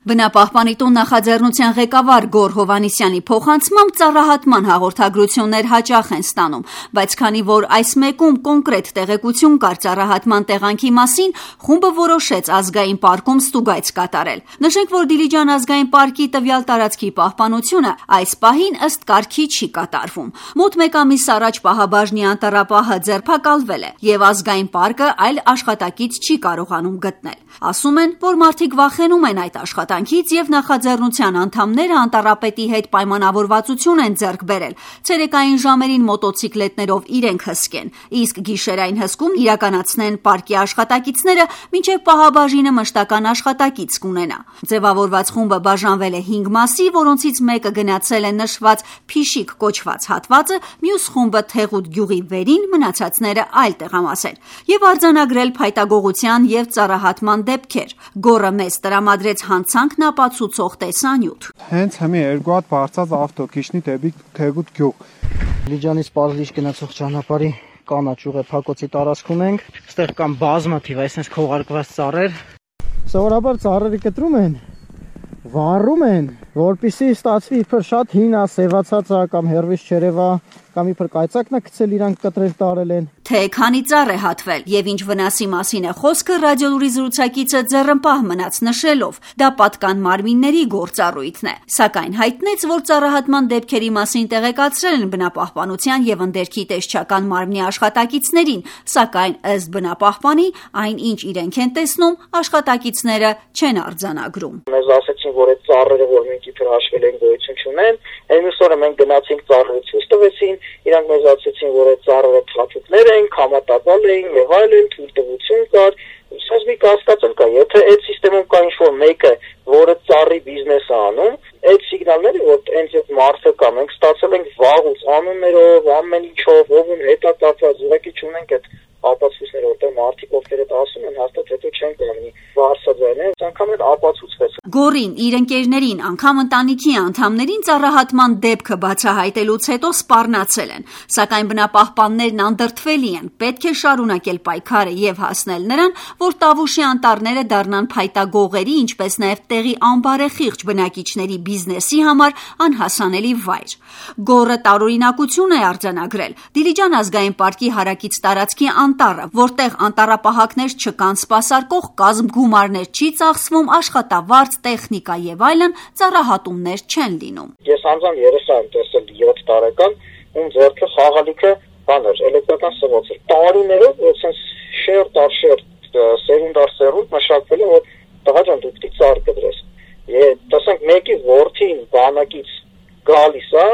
Բնապահպանի տուն նախաձեռնության ղեկավար Գոռ Հովհաննիսյանի փոխանցմամբ ծառահատման հաղորդագրություններ հաճախ են ստանում, բայց քանի որ այս մեկում կոնկրետ տեղեկություն կար ծառահատման տեղանքի մասին, խումբը որոշեց ազգային պարկում ստուգայց կատարել։ Նշենք, որ Դիլիջան ազգային պարկի տվյալ տարածքի պահպանությունը այս պահին ըստ կարգի չի կատարվում։ Մոտ մեկ ամիս առաջ պահաբաժնի անտառապահը ձերբակալվել է եւ ազգային պարկը այլ աշխատակից չի կարողանում գտնել։ Ասում են, որ մարդիկ վախենում են այդ աշխատանքից եւ նախաձեռնության անդամները անտառապետի հետ պայմանավորվածություն են ձեռք բերել ցերեկային ժամերին մոտոցիկլետներով իրենք հսկեն, իսկ գիշերային հսկում իրականացնեն պարկի աշխատակիցները, մինչեւ պահաբաժինը մշտական աշխատակից կունենա։ Ձևավորված խումբը բաժանվել է 5 մասի, որոնցից մեկը գնացել է նշված Փիշիկ կոչված հատվածը, մյուս խումբը Թեղուտ գյուղի վերին, մնացածները այլ տեղամասեր եւ արձանագրել փայտագողության եւ ծառահատման դեպքեր։ Գոռը մեծ տրամադրեց հանցանքն ապացուցող տեսանյութ։ Հենց հիմա երկու հատ բարձած ավտոքիշնի դեպի Թեղուտ գյուղ։ Դիլիջանից Պարզիչ գնացող ճանապարհի կանաչ ուղի փակոցի տարածքում ենք։ Այստեղ կան բազմաթիվ այսպես քողարկված ծառեր։ Սովորաբար ծառերը կտրում են, վառում են, որպեսզի ստացվի իբր շատ հին է, սևացած է կամ հերվից չերևա, կամ իբր կայծակն է գցել իրանք կտրել տարել են։ Թե քանի ծառ է հատվել եւ ինչ վնասի մասին է խոսքը, ռադիոլուրի զրուցակիցը ձեռնպահ մնաց նշելով, դա պատկան մարմինների գործառույթն է, սակայն հայտնեց, որ ծառահատման դեպքերի մասին տեղեկացրել են բնապահպանության եւ ընդերքի տեսչական մարմնի աշխատակիցներին, սակայն ըստ բնապահպանի, այն ինչ իրենք են տեսնում, աշխատակիցները չեն արձանագրում։ Մեզ ասեցին, որ այդ ծառերը, որ մենք իբր հաշվել են, գոյություն չունեն, այս օրը մենք գնացինք ծառերը ցույց տվեցին, իրանք մեզ ասեցին, որ այդ ծառերը թաթուկներ են, համատապալ էին եւ այլն, թույլտվություն կար։ Սա կասկածել կա, եթե այդ համակարգում կա ինչ-որ մեկը, որը ծառի բիզնես է անում, այդ սիգնալները, որ հենց այդ մարդը կա, մենք ստացել ենք վաղուց անուններով, ամեն ինչով, ով հետա կապված, ուղղակի չունենք այդ ապացույցները, որտեղ մարդիկ ովքեր այդ ասում են, հաստատ հետո չեն կանգնի վարսաձայնել, անգամ էլ ապացուցվեց։ Գոռին, իր ընկերներին, անգամ ընտանիքի անդամներին ծառահատման դեպքը բացահայտելուց հետո սպառնացել են, սակայն բնապահպաններն անդրդվելի են, պետք է շարունակել պայքարը եւ հասնել նրան, որ Տավուշի անտառները դառնան փայտագողերի, ինչպես նաեւ տեղի անբարեխիղճ բնակիչների բիզնեսի համար անհասանելի վայր։ Գոռը տարօրինակություն է արձանագրել Դիլիջան ազգային պարկի հարակից տարածքի անտառը, որտեղ անտառապահակներ չկան, սպասարկող կազմ գումարներ չի ծախսվում, աշխատավարձ, տեխնիկա եւ այլն, ծառահատումներ չեն լինում։ Ես անձամբ երեխա եմ տեսել 7 տարեկան, ում ձեռքը խաղալիքը բաներ, էլեկտրական սղոց էր։ Տարիներով այսպես շերտ սերունդ առ սերունդ մշակվել է, որ տղա ջան դու պիտի ծառ կդրես։ Եվ տեսանք մեկի որդին բանակից գալիս է,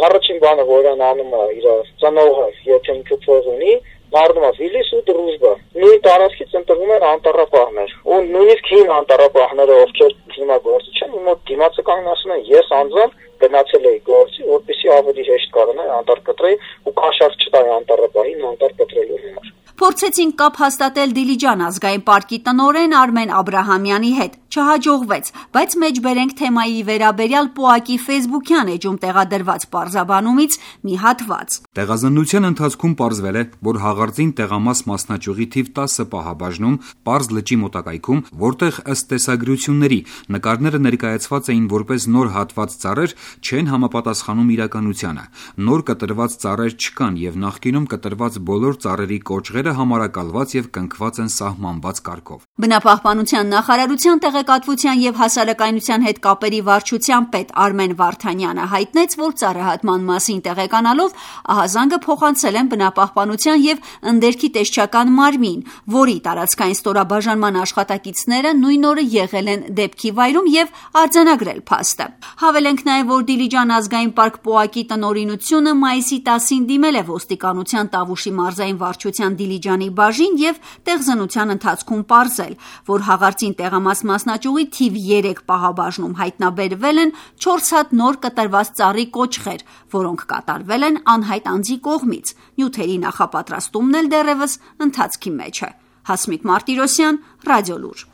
առաջին բանը որ այն անում է իր ծնողը, եթե ինքը փող ունի, Մարդում է վիլիս ու դրուժբա։ Նույն տարածքից ընտրվում են անտառապահներ։ Ու նույնիսկ հին անտառապահները, ովքեր հիմա գործի չեն, իմոտ դիմացը կանգն ասում են, ես անձամբ գնացել էի գործի, որպեսզի ավելի հեշտ կարողանայի անտառ կտրեի ու կաշառք չտայի անտառապահին անտառ կտրելու համար։ Փորձեցինք կապ հաստատել Դիլիջան ազգային պարկի տնօրեն Արմեն Աբրահամյանի հետ, չհաջողվեց, բայց մեջբերենք թեմայի վերաբերյալ ՊՕԱԿ-ի ֆեյսբուքյան էջում տեղադրված պարզաբանումից մի հատված։ Տեղազննության ընթացքում պարզվել է, որ հաղարծին տեղամաս մասնաճյուղի թիվ 10 պահաբաժնում Պարզ լճի մոտակայքում, որտեղ ըստ տեսագրությունների նկարները ներկայացված էին որպես նոր հատված ծառեր, չեն համապատասխանում իրականությանը։ Նոր կտրված ծառեր չկան եւ նախկինում կտրված բոլոր ծառերի կոճղերը համարակալված եւ կնքված են սահմանված կարգով։ Բնապահպանության նախարարության տեղեկատվության եւ հասարակայնության հետ կապերի վարչության պետ Արմեն Վարդանյանը հայտնեց, որ ծառահատման մասին տեղեկանալով ահազանգը փոխանցել են բնապահպանության եւ ընդերքի տեսչական մարմին, որի տարածքային ստորաբաժանման աշխատակիցները նույն օրը եղել են դեպքի վայրում եւ արձանագրել փաստը։ Հավելենք նաեւ, որ Դիլիջան ազգային պարկ ՊՕԱԿ-ի տնօրինությունը մայիսի 10-ին դիմել է ոստիկանության Տավուշի մարզային վարչության Դիլիջանի բաժին եւ տեղզնության ընթացքում պարզել, որ հաղարծին տեղամաս մասնաճյուղի թիվ 3 պահաբաժնում հայտնաբերվել են 4 հատ նոր կտրված ծառի կոճղեր, որոնք կատարվել են անհայտ անձի կողմից։ Նյութերի նախապատրաստումն էլ դեռևս ընթացքի մեջ է։ Հասմիկ Մարտիրոսյան, Ռադիոլուր։